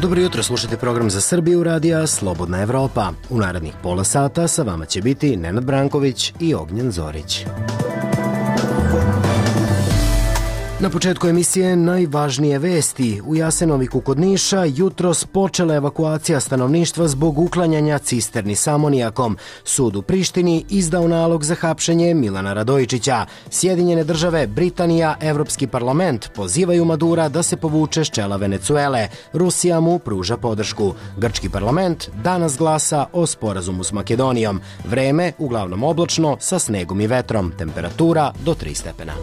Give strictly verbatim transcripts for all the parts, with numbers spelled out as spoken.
Dobro jutro, slušajte program za Srbiju radija Slobodna Evropa. U narednih pola sata sa vama će biti Nenad Branković i Ognjen Zorić. Na početku emisije najvažnije vesti. U Jasenoviku kod Niša jutros počela evakuacija stanovništva zbog uklanjanja cisterni s amonijakom. Sud u Prištini izdao nalog za hapšenje Milana Radojičića. Sjedinjene države, Britanija, Evropski parlament pozivaju Madura da se povuče s čela Venecuele. Rusija mu pruža podršku. Grčki parlament danas glasa o sporazumu s Makedonijom. Vreme uglavnom oblačno sa snegom i vetrom. Temperatura do tri stepena.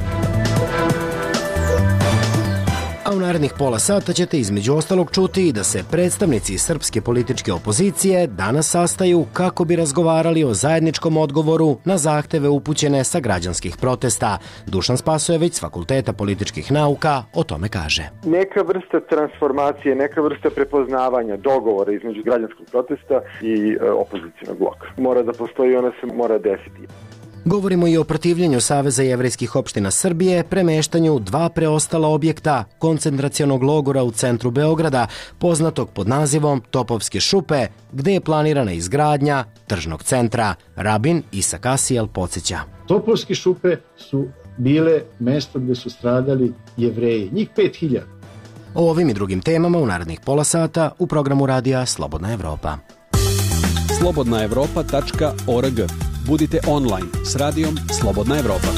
A u narednih pola sata ćete između ostalog čuti da se predstavnici srpske političke opozicije danas sastaju kako bi razgovarali o zajedničkom odgovoru na zahteve upućene sa građanskih protesta. Dušan Spasojević s Fakulteta političkih nauka o tome kaže. Neka vrsta transformacije, neka vrsta prepoznavanja, dogovora između građanskog protesta i e, opozicijnog bloka. Mora da postoji, ona se mora desiti. Govorimo i o protivljenju Saveza jevrejskih opština Srbije, premeštanju dva preostala objekta koncentracionog logora u centru Beograda, poznatog pod nazivom Topovske šupe, gde je planirana izgradnja tržnog centra. Rabin Isak Asijel podsjeća. Topovske šupe su bile mesto gde su stradali Jevreji, njih pet hiljada. O ovim i drugim temama u narednih pola sata u programu radija Slobodna Evropa. slobodna evropa tačka org. Budite online s radijom Slobodna Evropa.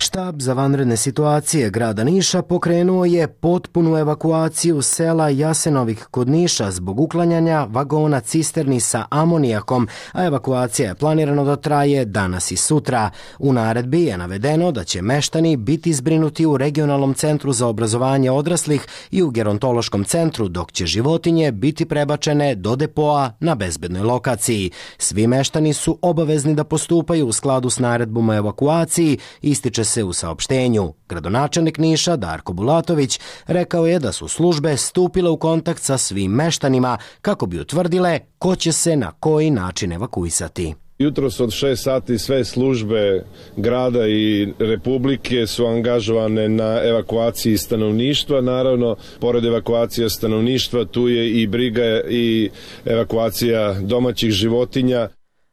Štab za vanredne situacije grada Niša pokrenuo je potpunu evakuaciju sela Jasenovik kod Niša zbog uklanjanja vagona cisterni sa amonijakom, a evakuacija je planirano da traje danas i sutra. U naredbi je navedeno da će meštani biti zbrinuti u regionalnom centru za obrazovanje odraslih i u gerontološkom centru, dok će životinje biti prebačene do depoa na bezbednoj lokaciji. Svi meštani su obavezni da postupaju u skladu s naredbom o evakuaciji, ističe se u saopštenju. Gradonačelnik Niša Darko Bulatović rekao je da su službe stupile u kontakt sa svim meštanima kako bi utvrdile ko će se na koji način evakuisati. Jutros od šest sati sve službe grada i republike su angažovane na evakuaciji stanovništva. Naravno, pored evakuacije stanovništva, tu je i briga i evakuacija domaćih životinja.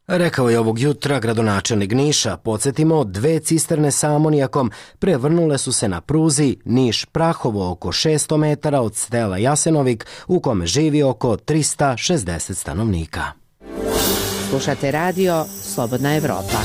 Rekao je ovog jutra gradonačelnik Niša. Podsjetimo, dve cisterne sa amonijakom prevrnule su se na pruzi Niš-Prahovo oko šesto metara od sela Jasenovik, u kome živi oko trista šezdeset stanovnika. Slušate radio Slobodna Evropa.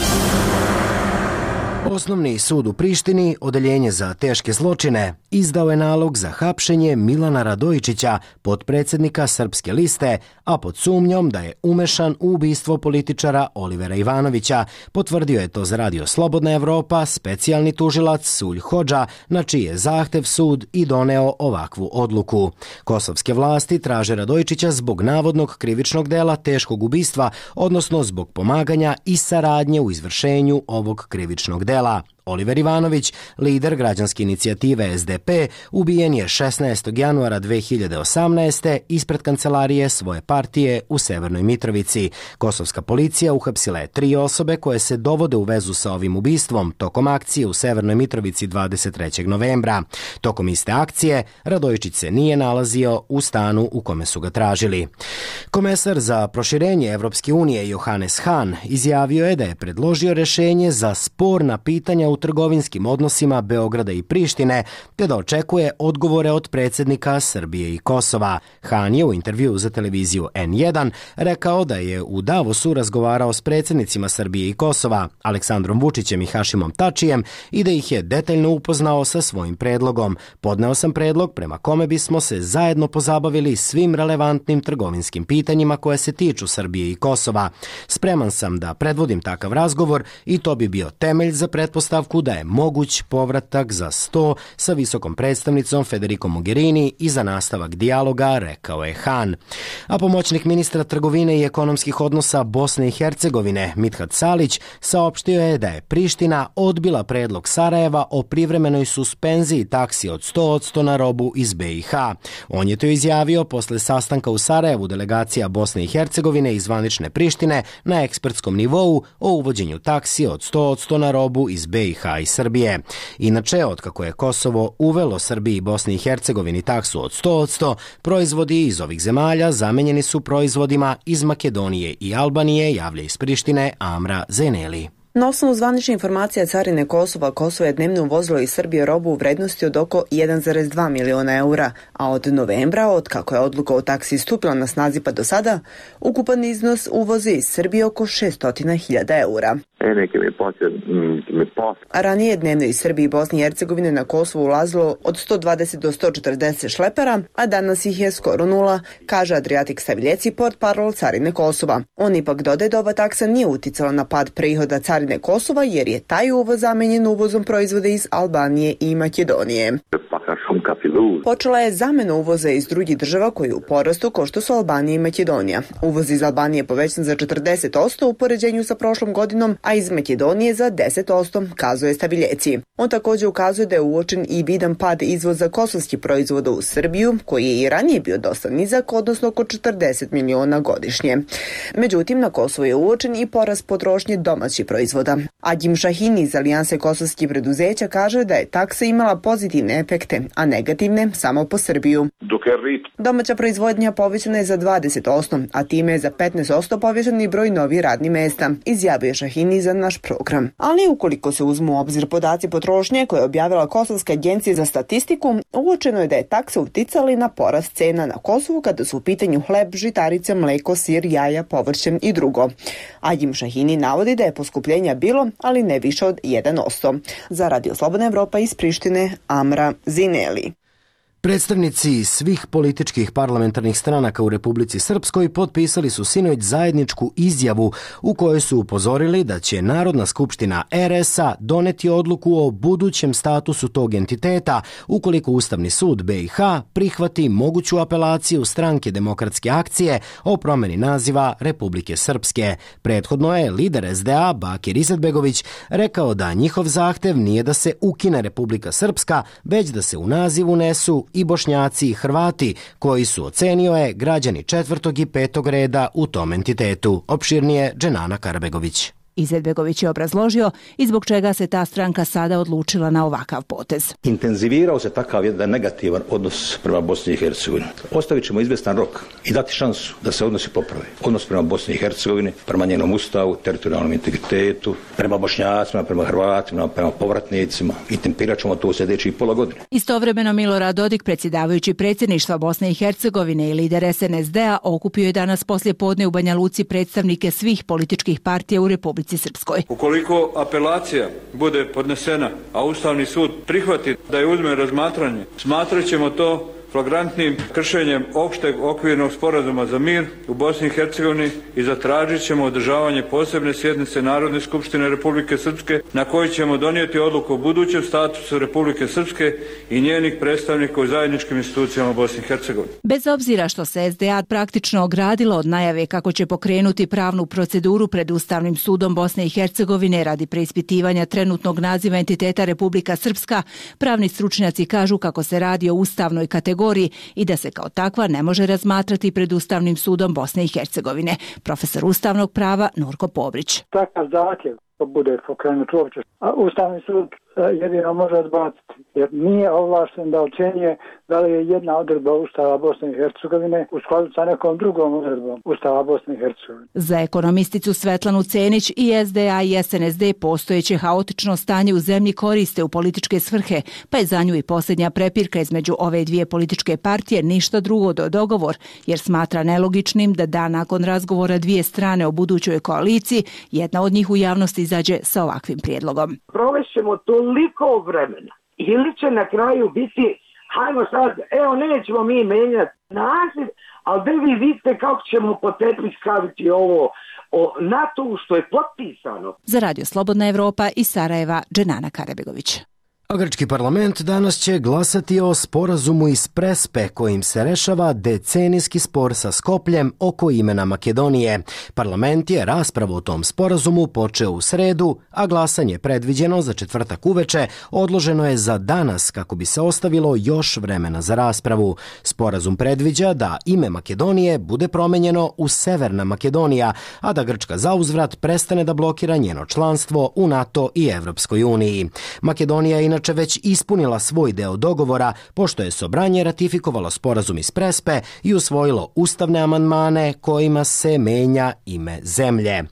Osnovni sud u Prištini, odeljenje za teške zločine, izdao je nalog za hapšenje Milana Radojičića, potpredsjednika Srpske liste, a pod sumnjom da je umešan u ubistvo političara Olivera Ivanovića. Potvrdio je to za radio Slobodna Evropa specijalni tužilac Sulj Hodža, na čiji je zahtev sud i doneo ovakvu odluku. Kosovske vlasti traže Radojičića zbog navodnog krivičnog dela teškog ubistva, odnosno zbog pomaganja i saradnje u izvršenju ovog krivičnog dela. Oliver Ivanović, lider građanske inicijative S D P, ubijen je šesnaestog januara dve hiljade osamnaeste. ispred kancelarije svoje partije u Severnoj Mitrovici. Kosovska policija uhapsila je tri osobe koje se dovode u vezu sa ovim ubistvom tokom akcije u Severnoj Mitrovici dvadeset trećeg novembra. Tokom iste akcije Radojičić se nije nalazio u stanu u kome su ga tražili. Komesar za proširenje Evropske unije Johannes Hahn izjavio je da je predložio rešenje za sporna pitanja u trgovinskim odnosima Beograda i Prištine, te da očekuje odgovore od predsjednika Srbije i Kosova. Hahn je u intervjuu za televiziju N jedan rekao da je u Davosu razgovarao s predsjednicima Srbije i Kosova, Aleksandrom Vučićem i Hašimom Tačijem, i da ih je detaljno upoznao sa svojim predlogom. Podneo sam predlog prema kome bismo se zajedno pozabavili svim relevantnim trgovinskim pitanjima koje se tiču Srbije i Kosova. Spreman sam da predvodim takav razgovor i to bi bio temelj za pretpostavku da je moguć povratak za sto sa visokom predstavnicom Federico Mogherini i za nastavak dijaloga, rekao je Hahn. A pomoćnik ministra trgovine i ekonomskih odnosa Bosne i Hercegovine Mithat Salić saopštio je da je Priština odbila predlog Sarajeva o privremenoj suspenziji taksi od sto posto na robu iz B i H. On je to izjavio posle sastanka u Sarajevu delegacija Bosne i Hercegovine i zvanične Prištine na ekspertskom nivou o uvođenju taksi od sto posto na robu iz B i i ha i Srbije. Inače, otkako je Kosovo uvelo Srbiji i Bosni i Hercegovini taksu od sto posto, proizvodi iz ovih zemalja zamenjeni su proizvodima iz Makedonije i Albanije, javlja iz Prištine Amra Zeneli. Na osnovu zvanične informacije carine Kosova, Kosovo je dnevno uvozilo iz Srbije robu u vrednosti od oko jedan zarez dva miliona eura, a od novembra, od kako je odluka o taksi stupila na snazi pa do sada, ukupan iznos uvozi iz Srbije oko šesto hiljada eura. A ranije je dnevno iz Srbije i Bosne i Hercegovine na Kosovo ulazilo od sto dvadeset do sto četrdeset šlepera, a danas ih je skoro nula, kaže Adriatik Saviljeci, portparol carine Kosova. On ipak dodaje da ova taksa nije uticala na pad prihoda carine Kosova, jer je taj uvoz zamenjen uvozom proizvoda iz Albanije i Makedonije. Počela je zamena uvoza iz drugih država koji je u porastu, kao što su Albanija i Makedonija. Uvoz iz Albanije je povećan za četrdeset posto u poređenju sa prošlom godinom, a iz Makedonije za deset posto, kazuje Staviljeci. On također ukazuje da je uočen i vidan pad izvoza kosovskih proizvoda u Srbiju, koji je i ranije bio dosta nizak, odnosno oko četrdeset miliona godišnje. Međutim, na Kosovu je uočen i porast potrošnje domaćih proizvoda. Agim Šahini iz Alijanse kosovskih preduzeća kaže da je taksa imala pozitivne efekte, a negativne samo po Srbiju. Domaća proizvodnja povećana je za dvadeset posto, a time je za petnaest posto povećan i broj novih radnih mesta, izjavio Šahini za naš program. Ali ukoliko se uzmu u obzir podaci potrošnje koje je objavila Kosovska agencija za statistiku, uočeno je da je taksa uticala na porast cena na Kosovu kada su u pitanju hleb, žitarice, mleko, sir, jaja, povrće i drugo. Agim Šahini navodi da je poskupljenja bilo, ali ne više od jedan posto. Za Radio Slobodna Evropa iz Prištine, Amra Zineli. Predstavnici svih političkih parlamentarnih stranaka u Republici Srpskoj potpisali su sinoć zajedničku izjavu u kojoj su upozorili da će Narodna skupština er es a doneti odluku o budućem statusu tog entiteta ukoliko Ustavni sud be i ha prihvati moguću apelaciju Stranke demokratske akcije o promeni naziva Republike Srpske. Prethodno je lider es de a Bakir Izetbegović rekao da njihov zahtev nije da se ukine Republika Srpska, već da se u naziv unesu i Bošnjaci i Hrvati, koji su, ocenio je, građani četvrtog i petog reda u tom entitetu. Opširnije Dženana Karabegović. Izetbegović je obrazložio i zbog čega se ta stranka sada odlučila na ovakav potez. Intenzivirao se takav jedan negativan odnos prema Bosni i Hercegovini. Ostavit ćemo izvestan rok i dati šansu da se odnosi poprave. Odnos prema Bosni i Hercegovini, prema njenom ustavu, teritorijalnom integritetu, prema Bošnjacima, prema Hrvatima, prema povratnicima i tempirat ćemo to u sljedećih pola godine. Istovremeno Milorad Dodik, predsjedavajući predsjedništva Bosne i Hercegovine i lider es en es de a, okupio je danas poslije podne u Banja Luci predstavnike svih političkih partija u Republici Srpskoj. Ukoliko apelacija bude podnesena, a Ustavni sud prihvati da je uzme razmatranje, smatrat ćemo to flagrantnim kršenjem opšteg okvirnog sporazuma za mir u Bosni i Hercegovini i zatražit ćemo održavanje posebne sjednice Narodne skupštine Republike Srpske na kojoj ćemo donijeti odluku o budućem statusu Republike Srpske i njenih predstavnika u zajedničkim institucijama Bosne i Hercegovine. Bez obzira što se es de a praktično ogradilo od najave kako će pokrenuti pravnu proceduru pred Ustavnim sudom Bosne i Hercegovine radi preispitivanja trenutnog naziva entiteta Republika Srpska, pravni stručnjaci kažu kako se radi o ustavnoj kategoriji i da se kao takva ne može razmatrati pred Ustavnim sudom Bosne i Hercegovine. Profesor ustavnog prava Nurko Pobrić. Takav zahtjev bude pokrenut uopće, a Ustavni sud jedino može odbaciti, jer nije ovlašten da ocjenjuje da li je jedna odredba Ustava Bosne i Hercegovine u skladu sa nekom drugom odredbom Ustava Bosne i Hercegovine. Za ekonomisticu Svetlanu Cenić i es de a i es en es de postojeće haotično stanje u zemlji koriste u političke svrhe, pa je za nju i posljednja prepirka između ove dvije političke partije ništa drugo do dogovor, jer smatra nelogičnim da dan nakon razgovora dvije strane o budućoj koaliciji, jedna od njih u javnosti izađe sa ovakvim prijedlogom. Provešćemo toliko vremena ili će na kraju biti hajmo sad, evo nećemo mi menjati naziv, ali da vi vidite kako ćemo po tepih staviti ovo o NATO što je potpisano. Za Radio Slobodna Evropa iz Sarajeva, Dženana Karabegović. A grčki parlament danas će glasati o sporazumu iz Prespe kojim se rešava decenijski spor sa Skopljem oko imena Makedonije. Parlament je raspravu o tom sporazumu počeo u sredu, a glasanje predviđeno za četvrtak uveče odloženo je za danas kako bi se ostavilo još vremena za raspravu. Sporazum predviđa da ime Makedonije bude promenjeno u Severna Makedonija, a da Grčka zauzvrat prestane da blokira njeno članstvo u NATO i Evropskoj uniji. Makedonija je inače već ispunila svoj deo dogovora, pošto je Sobranje ratifikovalo sporazum iz Prespe i usvojilo ustavne amandmane kojima se menja ime zemlje.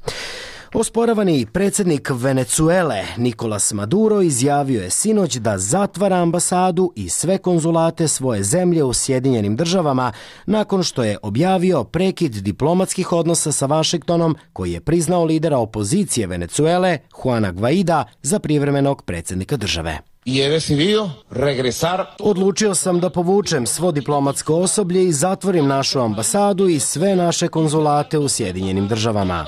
Osporavani predsjednik Venecuele Nicolas Maduro izjavio je sinoć da zatvara ambasadu i sve konzulate svoje zemlje u Sjedinjenim državama nakon što je objavio prekid diplomatskih odnosa sa Vašingtonom koji je priznao lidera opozicije Venecuele Juana Guaida za privremenog predsjednika države. Odlučio sam da povučem svo diplomatsko osoblje i zatvorim našu ambasadu i sve naše konzulate u Sjedinjenim državama.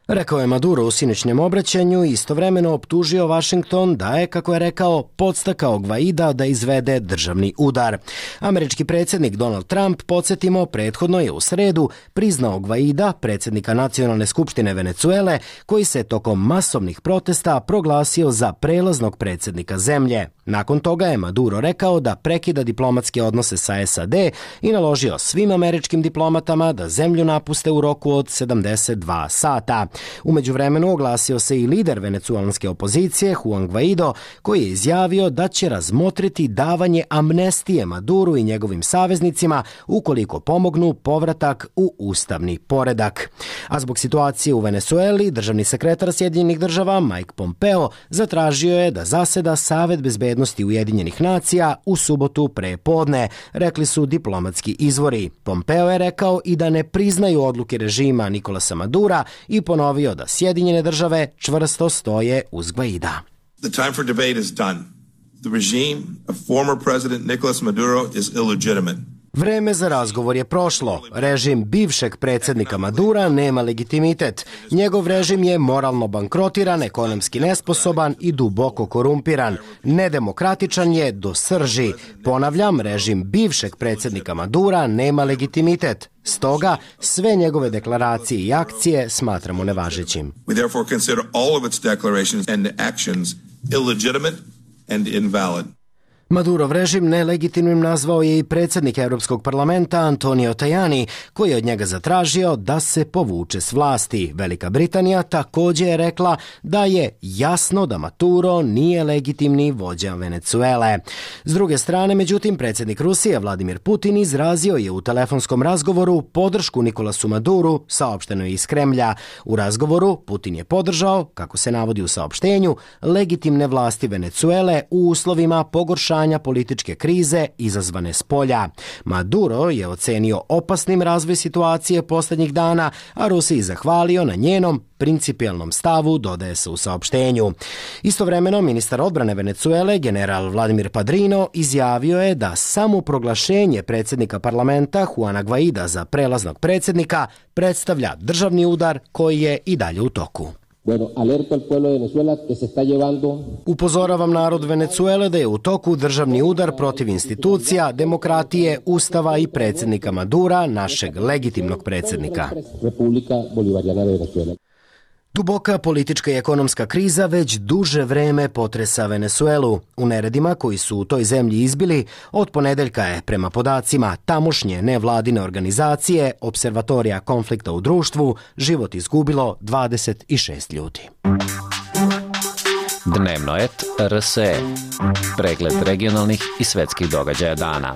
Rekao je Maduro u sinoćnjem obraćanju i istovremeno optužio Vašington da je, kako je rekao, podstakao Guaida da izvede državni udar. Američki predsjednik Donald Trump, podsjetimo, prethodno je u sredu priznao Guaida, predsjednika Nacionalne skupštine Venecuele, koji se tokom masovnih protesta proglasio za prelaznog predsjednika zemlje. Nakon toga je Maduro rekao da prekida diplomatske odnose sa S A D i naložio svim američkim diplomatama da zemlju napuste u roku od sedamdeset dva sata. U međuvremenu oglasio se i lider venecuelanske opozicije Juan Guaido, koji je izjavio da će razmotriti davanje amnestije Maduru i njegovim saveznicima ukoliko pomognu povratak u ustavni poredak. A zbog situacije u Venecueli, državni sekretar Sjedinjenih država Mike Pompeo zatražio je da zaseda Savet bezbednosti Ujedinjenih nacija u subotu pre podne, rekli su diplomatski izvori. Pompeo je rekao i da ne priznaju odluke režima Nicolasa Madura i ponovio da Sjedinjene države čvrsto stoje uz Guaida. The time for debate is done. The regime of former president Nicolas Maduro is illegitimate. Vreme za razgovor je prošlo. Režim bivšeg predsjednika Madura nema legitimitet. Njegov režim je moralno bankrotiran, ekonomski nesposoban i duboko korumpiran. Nedemokratičan je do srži. Ponavljam, režim bivšeg predsjednika Madura nema legitimitet. Stoga, sve njegove deklaracije i akcije smatramo nevažećim. We therefore consider all of its declarations and actions illegitimate and invalid. Madurov režim nelegitimnim nazvao je i predsjednik Europskog parlamenta Antonio Tajani, koji je od njega zatražio da se povuče s vlasti. Velika Britanija također je rekla da je jasno da Maduro nije legitimni vođa Venecuele. S druge strane, međutim, predsjednik Rusije Vladimir Putin izrazio je u telefonskom razgovoru podršku Nicolasu Maduru, saopšteno je iz Kremlja. U razgovoru Putin je podržao, kako se navodi u saopštenju, legitimne vlasti Venecuele u uslovima pogoršanja političke krize izazvane s polja. Maduro je ocenio opasnim razvoj situacije posljednjih dana, a Rusiji zahvalio na njenom principijelnom stavu, dodaje se u saopštenju. Istovremeno, ministar odbrane Venecuele, general Vladimir Padrino, izjavio je da samo proglašenje predsjednika parlamenta Juana Guaida za prelaznog predsjednika predstavlja državni udar koji je i dalje u toku. Upozoravam narod Venecuele da je u toku državni udar protiv institucija, demokratije, ustava i predsjednika Madura, našeg legitimnog predsjednika. Duboka politička i ekonomska kriza već duže vreme potresa Venecuelu. U neredima koji su u toj zemlji izbili, od ponedeljka je, prema podacima tamošnje nevladine organizacije Observatorija konflikta u društvu, život izgubilo dvadeset šest ljudi. Dnevno et R S E. Pregled regionalnih i svetskih događaja dana.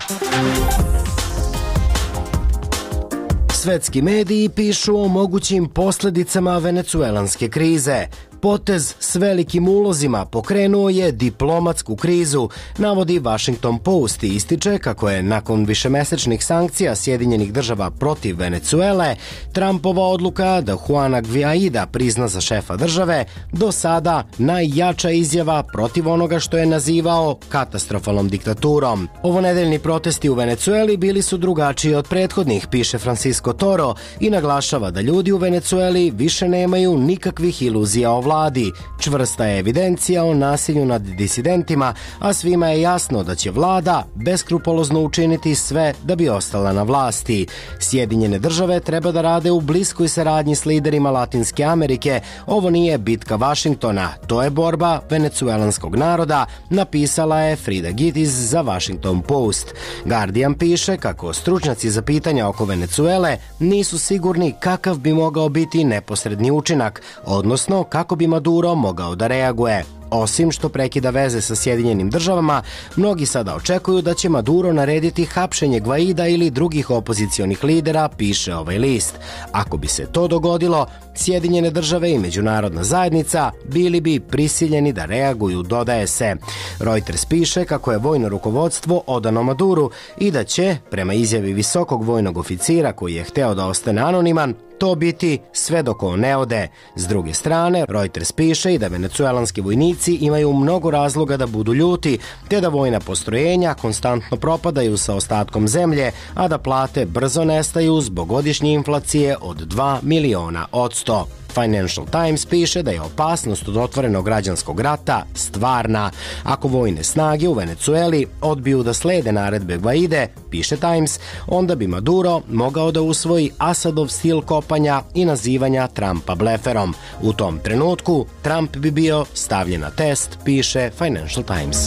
Svetski mediji pišu o mogućim posljedicama venecuelanske krize. Potez s velikim ulozima pokrenuo je diplomatsku krizu, navodi Washington Post i ističe kako je nakon višemesečnih sankcija Sjedinjenih država protiv Venecuele, Trumpova odluka da Juana Guaida prizna za šefa države do sada najjača izjava protiv onoga što je nazivao katastrofalnom diktaturom. Ovonedeljni protesti u Venecueli bili su drugačiji od prethodnih, piše Francisco Toro, i naglašava da ljudi u Venecueli više nemaju nikakvih iluzija o vlasti. vladi. Čvrsta je evidencija o nasilju nad disidentima, a svima je jasno da će vlada beskrupolozno učiniti sve da bi ostala na vlasti. Sjedinjene države treba da rade u bliskoj saradnji s liderima Latinske Amerike. Ovo nije bitka Vašingtona, to je borba venecuelanskog naroda, napisala je Frida Gitis za Washington Post. Guardian piše kako stručnjaci za pitanja oko Venecuele nisu sigurni kakav bi mogao biti neposredni učinak, odnosno kako bi Maduro mogao da reaguje. Osim što prekida veze sa Sjedinjenim državama, mnogi sada očekuju da će Maduro narediti hapšenje Gvaida ili drugih opozicionih lidera, piše ovaj list. Ako bi se to dogodilo, Sjedinjene države i međunarodna zajednica bili bi prisiljeni da reaguju, dodaje se. Reuters piše kako je vojno rukovodstvo odano Maduru i da će, prema izjavi visokog vojnog oficira koji je hteo da ostane anoniman, to biti sve dok on ne ode. S druge strane, Reuters piše i da venecuelanski vojnici imaju mnogo razloga da budu ljuti, te da vojna postrojenja konstantno propadaju sa ostatkom zemlje, a da plate brzo nestaju zbog godišnje inflacije od dva miliona odsto. Financial Times piše da je opasnost od otvorenog građanskog rata stvarna. Ako vojne snage u Venecueli odbiju da slede naredbe Gvaide, piše Times, onda bi Maduro mogao da usvoji Asadov stil kopanja i nazivanja Trumpa bleferom. U tom trenutku Trump bi bio stavljen na test, piše Financial Times.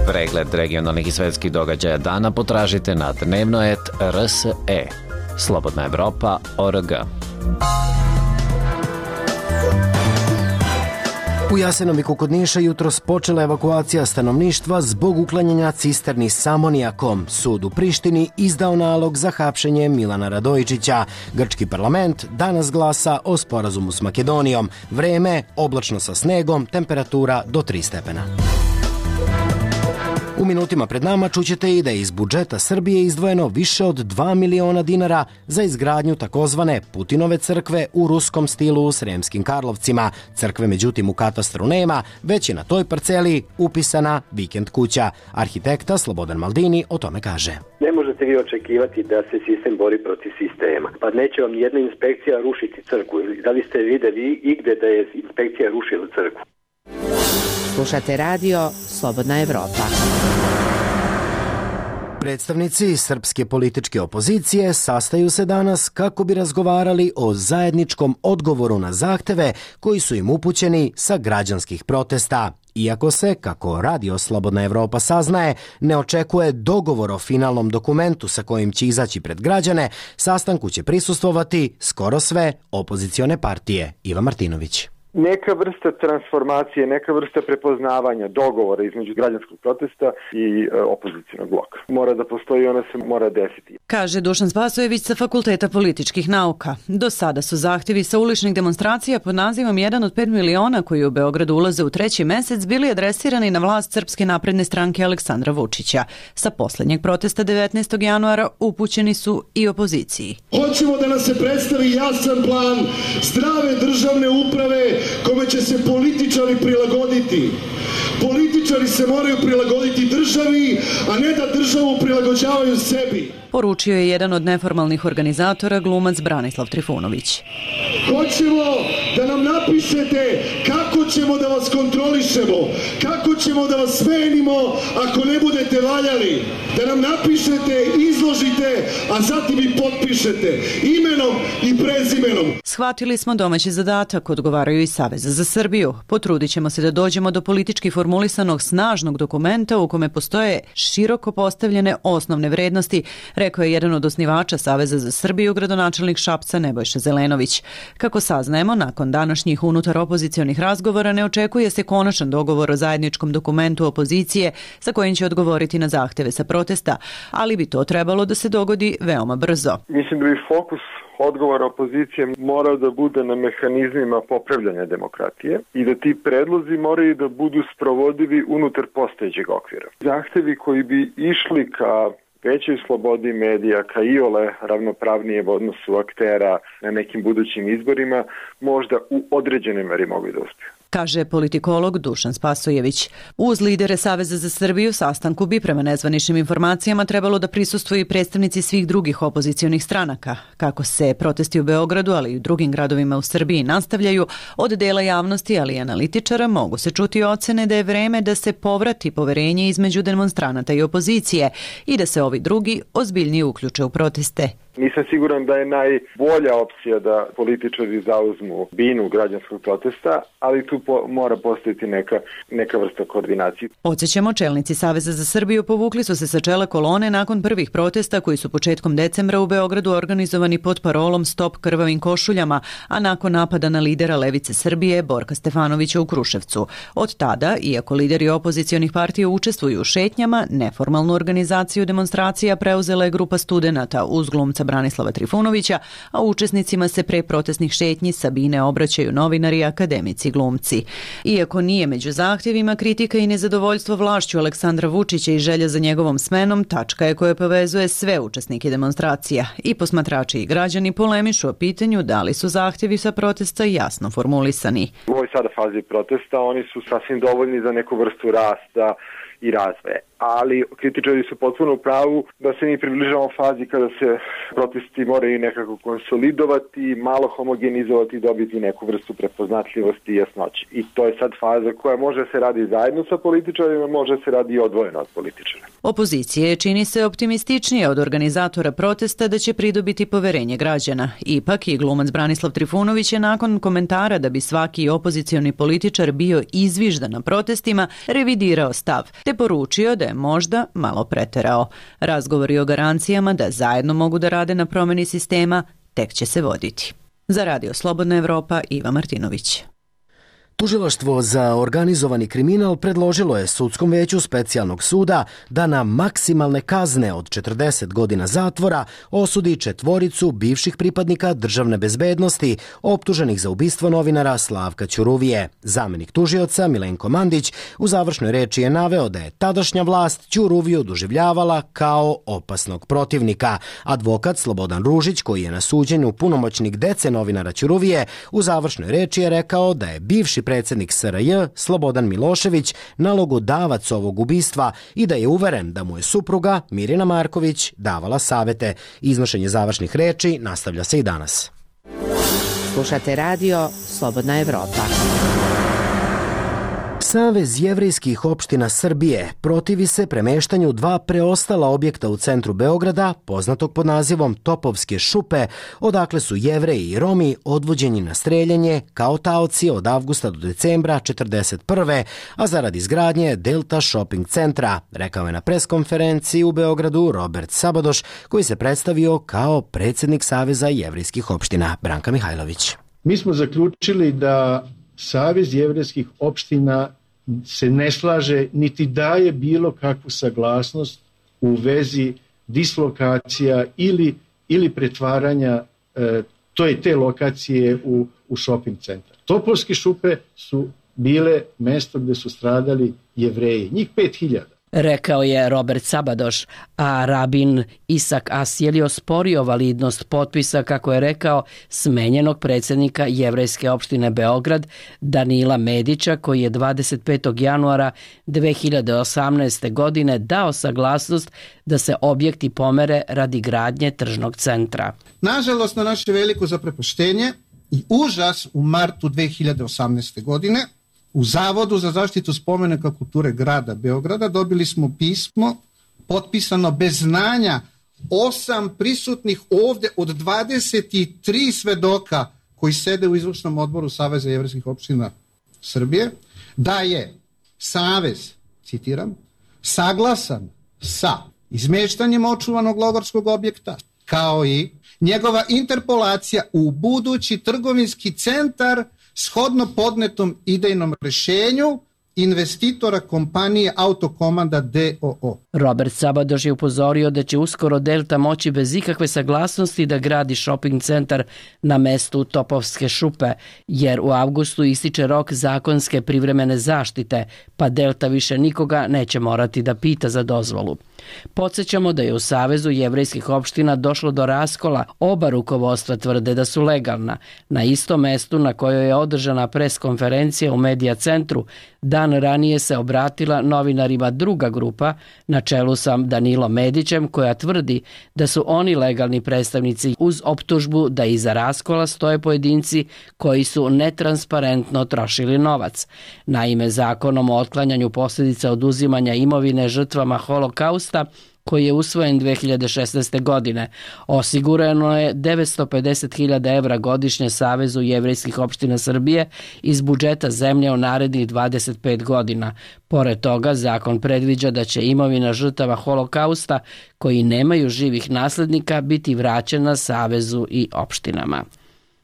Pregled regionalnih i svetskih događaja dana potražite na dnevnoet R S E. Slobodna Evropa O R G. U Jasenoviku kod Niša jutros počela evakuacija stanovništva zbog uklanjanja cisterni s amonijakom. Sud u Prištini izdao nalog za hapšenje Milana Radojičića. Grčki parlament danas glasa o sporazumu s Makedonijom. Vreme oblačno sa snegom, temperatura do tri stepena. U minutima pred nama čućete i da je iz budžeta Srbije izdvojeno više od dva miliona dinara za izgradnju takozvane Putinove crkve u ruskom stilu u Sremskim Karlovcima. Crkve međutim u katastru nema, već je na toj parceli upisana vikend kuća. Arhitekta Slobodan Maldini o tome kaže. Ne možete vi očekivati da se sistem bori protiv sistema. Pa neće vam jedna inspekcija rušiti crkvu. Da li ste videli igde da je inspekcija rušila crkvu? Slušate radio Slobodna Evropa. Predstavnici srpske političke opozicije sastaju se danas kako bi razgovarali o zajedničkom odgovoru na zahteve koji su im upućeni sa građanskih protesta. Iako se, kako radio Slobodna Evropa saznaje, ne očekuje dogovor o finalnom dokumentu sa kojim će izaći pred građane, sastanku će prisustvovati skoro sve opozicione partije. Iva Martinović. Neka vrsta transformacije, neka vrsta prepoznavanja dogovora između građanskog protesta i e, opozicionog bloka. Mora da postoji, ona se mora desiti. Kaže Dušan Spasojević sa Fakulteta političkih nauka. Do sada su zahtjevi sa uličnih demonstracija pod nazivom jedan od pet miliona koji u Beogradu ulaze u treći mesec bili adresirani na vlast Srpske napredne stranke Aleksandra Vučića. Sa posljednjeg protesta devetnaestog januara upućeni su i opoziciji. Hoćemo da nas se predstavi jasan plan zdrave državne uprave kome će se političari prilagoditi. Političari se moraju prilagoditi državi, a ne da državu prilagođavaju sebi. Poručio je jedan od neformalnih organizatora, glumac Branislav Trifunović. Hoćemo da nam napišete kako ćemo da vas kontrolišemo, kako ćemo da vas smenimo ako ne budete valjali. Da nam napišete, izložite, a zatim i potpišete imenom i prezimenom. Shvatili smo domaći zadatak, odgovaraju i Saveza za Srbiju. Potrudit ćemo se da dođemo do politički formulisanog snažnog dokumenta u kome postoje široko postavljene osnovne vrednosti, rekao je jedan od osnivača Saveza za Srbiju, gradonačelnik Šapca Nebojša Zelenović. Kako saznajemo, nakon današnjih unutar opozicionih razgovora ne očekuje se konačan dogovor o zajedničkom dokumentu opozicije sa kojim će odgovoriti na zahteve sa protesta, ali bi to trebalo da se dogodi veoma brzo. Mislim da bi fokus odgovora opozicije morao da bude na mehanizmima popravljanja demokratije i da ti predlozi moraju da budu sprovodivi unutar postojećeg okvira. Zahtevi koji bi išli ka većoj slobodi medija, ka iole ravnopravnijem odnosu aktera na nekim budućim izborima, možda u određenoj meri mogu da uspiju. kaže politikolog Dušan Spasojević. Uz lidere Saveza za Srbiju sastanku bi prema nezvaničnim informacijama trebalo da prisustvuju i predstavnici svih drugih opozicionih stranaka. Kako se protesti u Beogradu, ali i u drugim gradovima u Srbiji nastavljaju, od dela javnosti, ali i analitičara mogu se čuti ocene da je vreme da se povrati poverenje između demonstranata i opozicije i da se ovi drugi ozbiljnije uključe u proteste. Nisam siguran da je najbolja opcija da političari zauzmu binu građanskog protesta, ali tu po, mora postojiti neka, neka vrsta koordinacije. Podsjećamo, čelnici Saveza za Srbiju povukli su se sa čela kolone nakon prvih protesta koji su početkom decembra u Beogradu organizovani pod parolom Stop krvavim košuljama, a nakon napada na lidera Levice Srbije Borka Stefanovića u Kruševcu. Od tada, iako lideri opozicionih partija učestvuju u šetnjama, neformalnu organizaciju demonstracija preuzela je grupa studenata uz glumca Branislava Trifunovića, a učesnicima se pre protestnih šetnji Sabine obraćaju novinari, akademici, glumci. Iako nije među zahtjevima, kritika i nezadovoljstvo vlašću Aleksandra Vučića i želja za njegovom smenom tačka je koja povezuje sve učesnike demonstracija. I posmatrači i građani polemišu o pitanju da li su zahtjevi sa protesta jasno formulisani. U ovoj sada fazi protesta oni su sasvim dovoljni za neku vrstu rasta i razvoja. Ali kritičari su potpuno u pravu da se mi približavamo fazi kada se protesti moraju nekako konsolidovati, malo homogenizovati i dobiti neku vrstu prepoznatljivosti i jasnoće. I to je sad faza koja može se radi zajedno sa političarima, može se radi i odvojeno od političara. Opozicije čini se optimističnije od organizatora protesta da će pridobiti poverenje građana. Ipak i glumac Branislav Trifunović je nakon komentara da bi svaki opozicioni političar bio izviždan na protestima revidirao stav, te poručio da je možda malo preterao. Razgovori o garancijama da zajedno mogu da rade na promjeni sistema tek će se voditi. Za Radio Slobodna Evropa, Iva Martinović. Tužilaštvo za organizovani kriminal predložilo je sudskom veću specijalnog suda da na maksimalne kazne od četrdeset godina zatvora osudi četvoricu bivših pripadnika državne bezbednosti optuženih za ubistvo novinara Slavka Ćuruvije. Zamenik tužioca Milenko Mandić u završnoj reči je naveo da je tadašnja vlast Ćuruviju doživljavala kao opasnog protivnika. Advokat Slobodan Ružić, koji je na suđenju punomoćnik dece novinara Ćuruvije, u završnoj reči je rekao da je bivši predsjednik S R J Slobodan Milošević nalogodavac ovog ubistva i da je uveren da mu je supruga Mirjana Marković davala savete. Iznošenje završnih reči nastavlja se i danas. Slušate radio Slobodna Evropa. Savez jevrejskih opština Srbije protivi se premeštanju dva preostala objekta u centru Beograda, poznatog pod nazivom Topovske šupe, odakle su Jevreji i Romi odvođeni na streljanje kao taoci od avgusta do decembra četrdeset prve, a zarad izgradnje Delta Shopping centra, rekao je na preskonferenciji u Beogradu Robert Sabadoš, koji se predstavio kao predsjednik Saveza jevrejskih opština. Branka Mihajlović. Mi smo zaključili da Savez jevrejskih opština se ne slaže niti daje bilo kakvu saglasnost u vezi dislokacija ili, ili pretvaranja e, to je te lokacije u, u shopping centar. Topovske šupe su bile mesto gde su stradali Jevreji, njih pet hiljada. Rekao je Robert Sabadoš, a rabin Isak Asjel je osporio validnost potpisa, kako je rekao, smenjenog predsjednika jevrejske opštine Beograd Danila Medića, koji je dvadeset petog januara dve hiljade osamnaeste. godine dao saglasnost da se objekti pomere radi gradnje tržnog centra. Nažalost, na naše veliko zaprepaštenje i užas u martu dve hiljade osamnaeste. godine u Zavodu za zaštitu spomenika kulture grada Beograda dobili smo pismo potpisano bez znanja osam prisutnih ovde od dvadeset tri svedoka koji sede u izvršnom odboru Saveza jevrejskih opština Srbije, da je Savez, citiram, saglasan sa izmeštanjem očuvanog logorskog objekta, kao i njegova interpolacija u budući trgovinski centar shodno podnetom idejnom rešenju investitora kompanije Autokomanda D O O. Robert Sabadoš je upozorio da će uskoro Delta moći bez ikakve saglasnosti da gradi shopping centar na mestu Topovske šupe, jer u avgustu ističe rok zakonske privremene zaštite, pa Delta više nikoga neće morati da pita za dozvolu. Podsjećamo da je u Savezu jevrejskih opština došlo do raskola. Oba rukovodstva tvrde da su legalna. Na istom mestu na kojoj je održana preskonferencija u Medija centru, dan ranije se obratila novinarima druga grupa na čelu sa Danilom Medićem, koja tvrdi da su oni legalni predstavnici, uz optužbu da iza raskola stoje pojedinci koji su netransparentno trošili novac. Naime, zakonom o otklanjanju posljedica oduzimanja imovine žrtvama holokausta, koji je usvojen dve hiljade šesnaeste. godine, osigurano je devetsto pedeset hiljada evra godišnje Savezu jevrejskih opština Srbije iz budžeta zemlje u narednih dvadeset pet godina. Pored toga, zakon predviđa da će imovina žrtava holokausta koji nemaju živih naslednika biti vraćena Savezu i opštinama.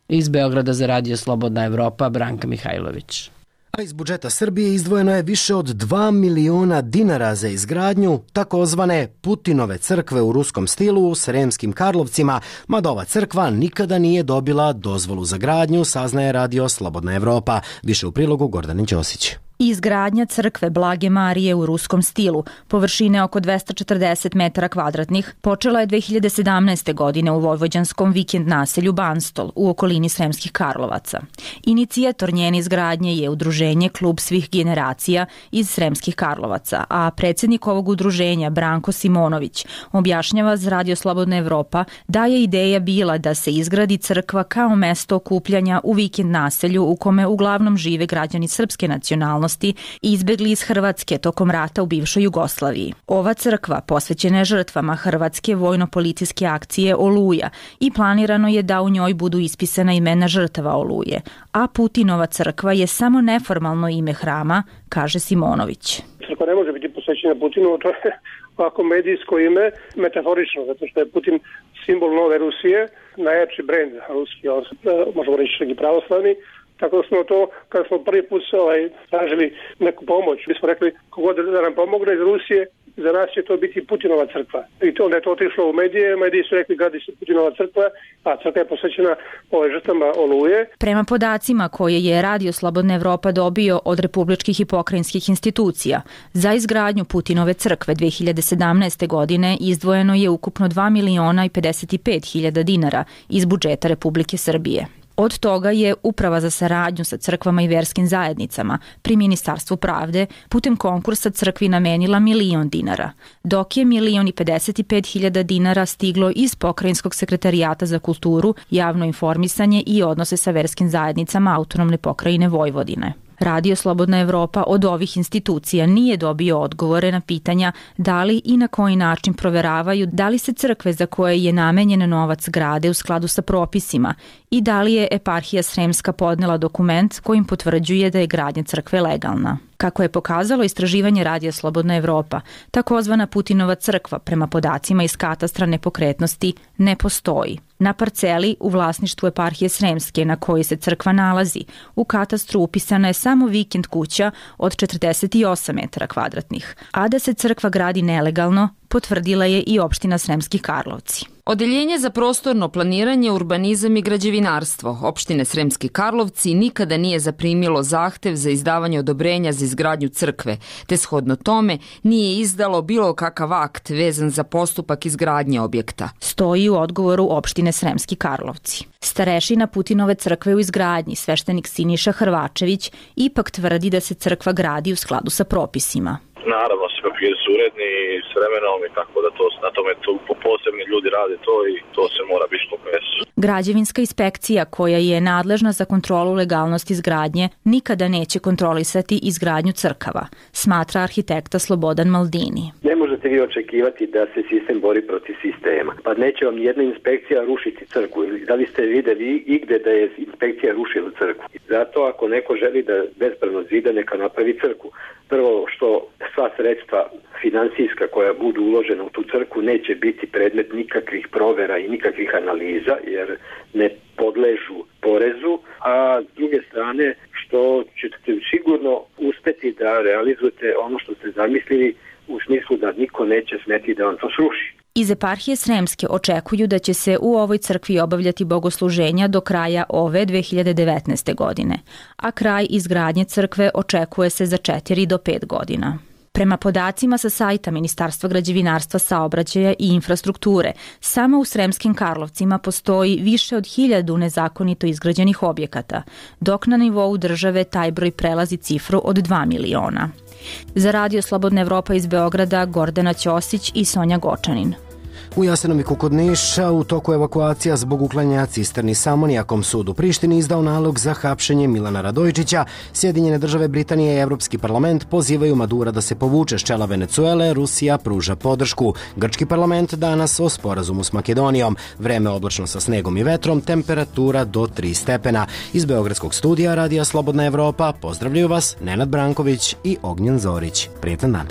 Iz Beograda za Radio Slobodna Evropa, Branka Mihajlović. A iz budžeta Srbije izdvojeno je više od dva miliona dinara za izgradnju takozvane Putinove crkve u ruskom stilu u Sremskim Karlovcima, mada ova crkva nikada nije dobila dozvolu za gradnju, saznaje Radio Slobodna Evropa. Više u prilogu Gordane Ćosić. Izgradnja crkve Blage Marije u ruskom stilu, površine oko dvesta četrdeset metara kvadratnih, počela je dve hiljade sedamnaeste. godine u vojvođanskom vikend naselju Banstol u okolini Sremskih Karlovaca. Inicijator njene izgradnje je udruženje Klub svih generacija iz Sremskih Karlovaca, a predsjednik ovog udruženja Branko Simonović objašnjava za Radio Slobodna Evropa da je ideja bila da se izgradi crkva kao mesto okupljanja u vikend naselju u kome uglavnom žive građani srpske nacionalnosti i izbegli iz Hrvatske tokom rata u bivšoj Jugoslaviji. Ova crkva posvećena je žrtvama Hrvatske vojno-policijske akcije Oluja i planirano je da u njoj budu ispisana imena žrtava Oluje, a Putinova crkva je samo neformalno ime hrama, kaže Simonović. Crkva ne može biti posvećena Putinu, to je ovako medijsko ime, metaforično, zato što je Putin simbol nove Rusije, najjači brend ruski, možemo reći čak i pravoslavni. Tako smo to, kada smo prvi put ovaj, tražili neku pomoć, mi smo rekli kogod da nam pomogne iz Rusije, za nas će to biti Putinova crkva. I to onda je to otišlo u medije, mediji su rekli gradi se Putinova crkva, a crkva je posvećena ove žrtvama Oluje. Prema podacima koje je Radio Slobodna Evropa dobio od republičkih i pokrajinskih institucija, za izgradnju Putinove crkve dve hiljade sedamnaeste. godine izdvojeno je ukupno dva miliona i pedeset pet hiljada dinara iz budžeta Republike Srbije. Od toga je Uprava za saradnju sa crkvama i verskim zajednicama pri Ministarstvu pravde putem konkursa crkvi namenila milion dinara, dok je milion i pedeset pet hiljada dinara stiglo iz Pokrajinskog sekretarijata za kulturu, javno informisanje i odnose sa verskim zajednicama Autonomne pokrajine Vojvodine. Radio Slobodna Evropa od ovih institucija nije dobio odgovore na pitanja da li i na koji način proveravaju da li se crkve za koje je namenjen novac grade u skladu sa propisima i da li je eparhija Sremska podnela dokument kojim potvrđuje da je gradnja crkve legalna. Kako je pokazalo istraživanje Radija Slobodna Evropa, takozvana Putinova crkva prema podacima iz katastra nepokretnosti ne postoji. Na parceli u vlasništvu eparhije Sremske na kojoj se crkva nalazi, u katastru upisana je samo vikend kuća od četrdeset osam metara kvadratnih, a da se crkva gradi nelegalno potvrdila je i opština Sremski Karlovci. Odeljenje za prostorno planiranje, urbanizam i građevinarstvo opštine Sremski Karlovci nikada nije zaprimilo zahtev za izdavanje odobrenja za izgradnju crkve, te shodno tome nije izdalo bilo kakav akt vezan za postupak izgradnje objekta. Stoji u odgovoru opštine Sremski Karlovci. Starešina Putinove crkve u izgradnji, sveštenik Siniša Hrvačević, ipak tvrdi da se crkva gradi u skladu sa propisima. Naravno, svi papiri su uredni s vremenom i tako da to, na tome to, posebni ljudi rade to i to se mora biti što mesu. Građevinska inspekcija koja je nadležna za kontrolu legalnosti izgradnje nikada neće kontrolisati izgradnju crkava, smatra arhitekta Slobodan Maldini. Ne možete vi očekivati da se sistem bori protiv sistema. Pa neće vam jedna inspekcija rušiti crkvu. Da li ste videli igde da je inspekcija rušila crkvu? Zato ako neko želi da bespravno zida, neka napravi crkvu. Prvo što sva sredstva sredstva financijska koja budu uložena u tu crkvu neće biti predmet nikakvih provera i nikakvih analiza jer ne podležu porezu, a s druge strane što ćete sigurno uspeti da realizujete ono što ste zamislili u smislu da niko neće smeti da vam to sruši. Iz eparhije Sremske očekuju da će se u ovoj crkvi obavljati bogosluženja do kraja ove dve hiljade devetnaeste. godine, a kraj izgradnje crkve očekuje se za četiri do pet godina. Prema podacima sa sajta Ministarstva građevinarstva, saobraćaja i infrastrukture, samo u Sremskim Karlovcima postoji više od hiljadu nezakonito izgrađenih objekata, dok na nivou države taj broj prelazi cifru od dva miliona. Za Radio Slobodna Evropa iz Beograda, Gordana Ćosić i Sonja Gočanin. U Jasenoviku kod Niša u toku evakuacija zbog uklanjanja cisterni s amonijakom sud u Prištini izdao nalog za hapšenje Milana Radojičića. Sjedinjene države Britanije i Evropski parlament pozivaju Madura da se povuče s čela Venecuele, Rusija pruža podršku. Grčki parlament danas o sporazumu s Makedonijom. Vreme oblačno sa snegom i vetrom, temperatura do tri stepena. Iz Beogradskog studija Radija Slobodna Evropa pozdravljaju vas Nenad Branković i Ognjen Zorić. Prijetan dan.